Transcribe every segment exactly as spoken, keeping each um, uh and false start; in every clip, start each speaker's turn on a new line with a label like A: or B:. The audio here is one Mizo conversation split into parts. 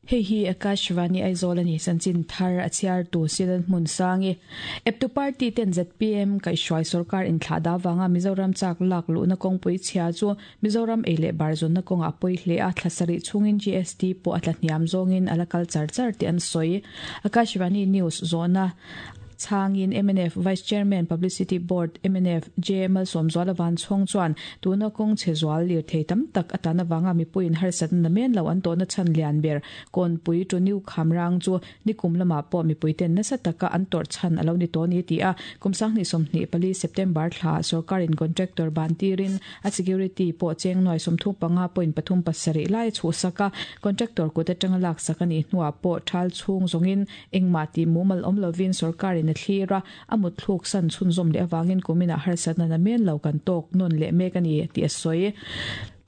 A: Hei hi Akashvani Aizawl ani chanchin thar a chhiar tu Silan hmun sangi eptu party ten Z P M kai hruai sarkar in thla da wanga Mizoram chak lak lu na kawngpui chhia chu Mizoram ei leh bar zawn na kawnga pawi hle a, thlasarih chungin G S T pawh a tla hniam zawngin ala kal char char tih an sawi. Akashvani News zawhna chhangin M N F Vice Chairman, Publicity Board, M N F J Malsawmzuala Vanchhawng chuan tuna kawng chhe zual lir thei tam tak atana wanga mipuiin harsat na men lo an tawhna chhan lian ber Kawnpui to New Khamrang chu nikum lama pawh mipuiten nasa taka an tawrh chhan alo ni tawh ni ti a. Kum sanghnih sawmhnih pali September thla sarkarin contractor ban tirin a security pawh cheng nuai sawmthum panga point pathum pasarih lai chu saka contractor kut atanga lak sak ani hnuah pawh thal chhung zawngin engmah ti mumal awm lovin sarkarin a thlira amut thluk san chhunzawm leh awangin kumina harsatna na men lo kan tawk nun leh mek ani ti a sawi.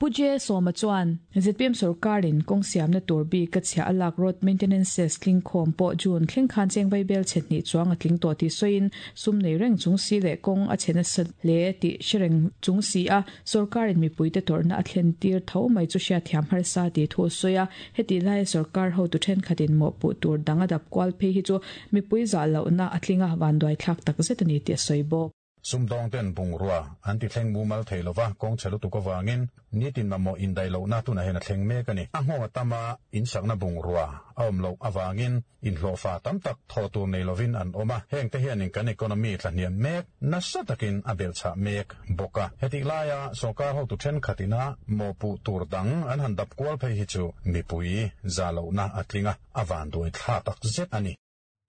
A: Puje Soma chuan Z P M sarkarin kawng siamna tur bi ka chhia alak road maintenance cess tling khawm pawh June thleng khan cheng vai bel chhetni chuang a tling tawh ti sawiin, sum nei reng chung si leh kawng a chhena sa hle tih hrereng chung si a sarkarin mipuite tawrhna a thlen tir tho mai chu hriat thiam harsa ti thu sawi a. Heti lai sarkar ho tu thenkhatin mawh puh tur dang a dap kual phei hi chu mipui zah lohna a tlinga vanduai thlak tak zet ani tih a sawi bawk.
B: Sumdawng ten bungrua an ti thleng mumal thei lova, kawng chhe lutuk awangin nitin mamawh indai lohna tunah hian a thleng mek ani. A nghawng atama in sakna bungrua a awm loh awangin inhlawhfa tam tak thaw tur nei lovin an awm a. Heng te hianin kan economy tlahniam mek nasa takin a belchhah mek bawk a. Heti laia sawrkar hotu thenkhatina mawhpuh tur dang an han dap kual phei hi chu mipui za lohna a tlinga, a vanduai thla tak zet ani.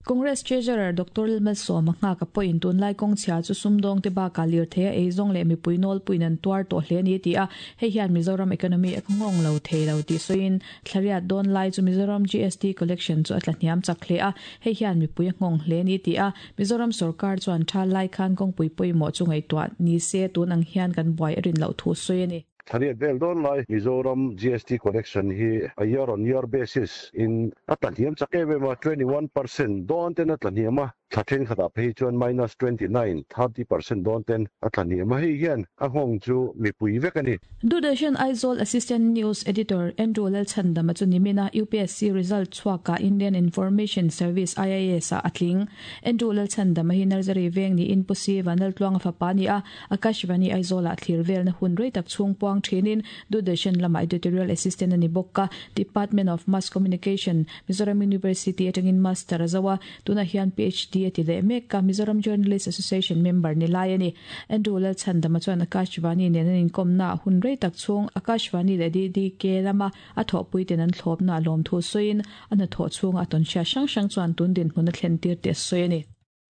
A: Congress Treasurer Doctor Lalmalsawma Nghaka pawhin tunlai kawng chhia chu sumdawng te bakah lirthei a eizawng leh mipui nawlpuiin an tuar tawh hle ani ti a. Hei hian Mizoram economy a nghawng lo thei lo tih sawiin, thlariat dawn lai chu Mizoram G S T collection chu a tla hniam chak hle a, hei hian mipui a nghawng hle ani ti a. Mizoram sarkar chuan tha lai khan kawngpui pawimawh chu ngaihtuah ni se tun ang hian kan buai a rin loh thu sawi ani.
C: Thlariat vel dawn lai Mizoram G S T collection hi a year on year basis in a tlahniam chak em em a, twenty-one percent dawn ten a tlahniam a, thla thenkhatah phei chuan minus twenty-nine thirty percent dawn ten a tlahniam a. Hei hian a nghawng chu mipui vek ani.
A: Doordarshan Aizawl Assistant News Editor Andrew Lalchhandama chu nimina U P S C result chhuaka Indian Information Service I I S a atling. Andrew Lalchhandama hi Nursery veng ni in pusi vanal tluanga fapa ni a. Akashvani Aizawl a thlir vel na hun rei tak chung puang thinin Doordarshan lama editorial assistant ani bokka. Department of Mass Communication, Mizoram University atangin master azawa, tuna hian P H D ati le mek ka. Mizoram Journalist Association member ni lai ani. Andrew Lalchhandama chuan Akashvani nen an inkomna hun rei tak chung Akashvani le D D K lama a thawhpui ten an thlawp na lawm thu sawiin, an thaw chung a tawn hria hrang hrang chuan tun din hmun a thlen tir te sawi ani.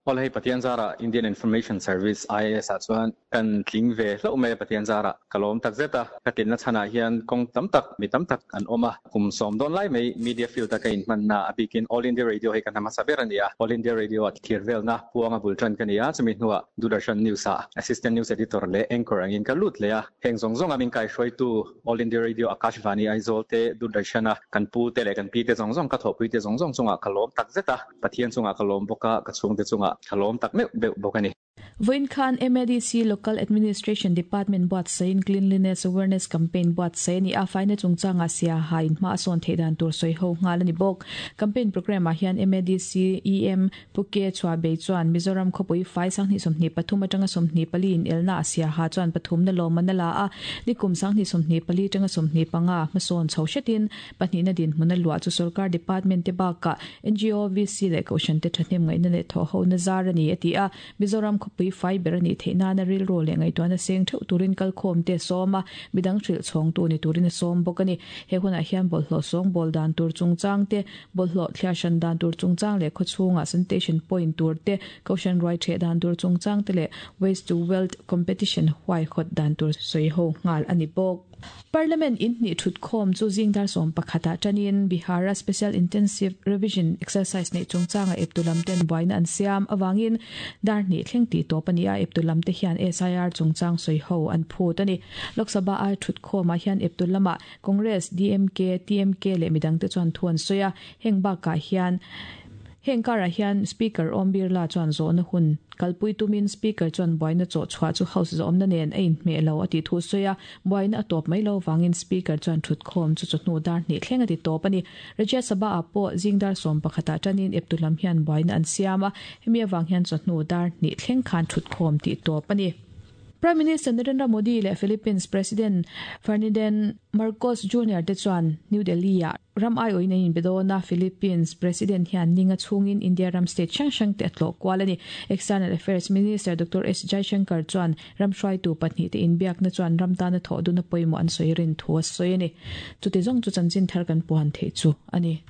D: Hol hei Pathian zara Indian Information Service I A S a chuan kan tling ve hlo mai. Pathian zara kalom tak zeta ka tin na chana hian kong tam tak mi tam tak an oma kum som don lai mai media field ta ka in man na abikin All India Radio he kan hama saber ania. All India Radio at thir vel na puanga bultran kania, chumi nuwa Doordarshan News a assistant news editor le anchor angin ka lut le a. Heng zong zong amin kai hroi tu All India Radio, Akashvani Aizawl te, Doordarshan a kan pu te le kan pi te zong zong, ka tho pui te zong zong chunga kalom tak zeta. Pathian chunga kalom boka, ka chung te chunga kalom tak me be bokani.
A: Voin khan M A D C Local Administration Department buat sain Cleanliness Awareness Campaign buat sai ni a. Faina chungchanga sia hain ma son theidan tur soi ho ngal ani bok. Campaign program a hian M A D C E M Puke chwa be chuan Mizoram khopui fai sang ni somni pathum atanga somni pali in elna asia ha chuan pathum na lawm na la a. Nikum sang ni somni pali tanga somni panga mason chho shetin pahnih na din hmuna lua chu sarkar department te baka N G O, V C le koshan te thahnem ngai na le tho ho na zar ani ati a. Mizoram khopui fai ber ani theina na ril ro le ngai to na seng theu turin kal khom te soma midang thril chhong tu ni turin som bok ani. He huna hian bol hlo song bol dan tur chungchang te, bol hlo thlia shan dan tur chungchang le khochunga sanitation point tur te, koshan roi the dan tur chungchang te le waste to wealth competition huai khot dan tur soi ho ngal ani bok. Parliament in ni thut khom chu jingdar som pakhata tanin Bihara Special Intensive Revision exercise nei chungchanga eptulam ten buaina an siam awangin dar ni thleng ti to pania. Eptulam te hian S I R chungchang soi ho an phut ani. Lok Sabha a thut khoma hian eptulama Congress, D M K, T M K le midang te chuan thuan soya. Heng ba ka hian Heng karah hian Speaker Om Birla chuan zawhna hun kalpui tumin Speaker chuan buaina chawh chhuah chu House zawmna nen a inhmeh lo a tih thu sawi a, buaina a tawp mai lo vangin Speaker chuan thutkhawm chu chawhnu dar hnih thleng a ti tawp a ni. Rajya Sabha ah pawh zing dar sawm pakhatah tanin eptu lam hian buaina an siam a, hemi avang hian chawhnu dar hnih thleng khan thutkhawm tih tawp a ni. Prime Minister Narendra Modi leh Philippines President Ferdinand Marcos Junior te chuan New Delhi ah ram ai awin an inbe dawn a, Philippines President hian ninga chhungin India ram state hrang hrang te a tlawh kual a ni. External Affairs Minister Doctor S Jaishankar chuan ram hruaitu pahnih te inbiakna chuan ram tana thawh duna pawimawh an sawi rin thu a sawi a ni. Chuti zawng chu chanchin thar kan puan theih chu a ni.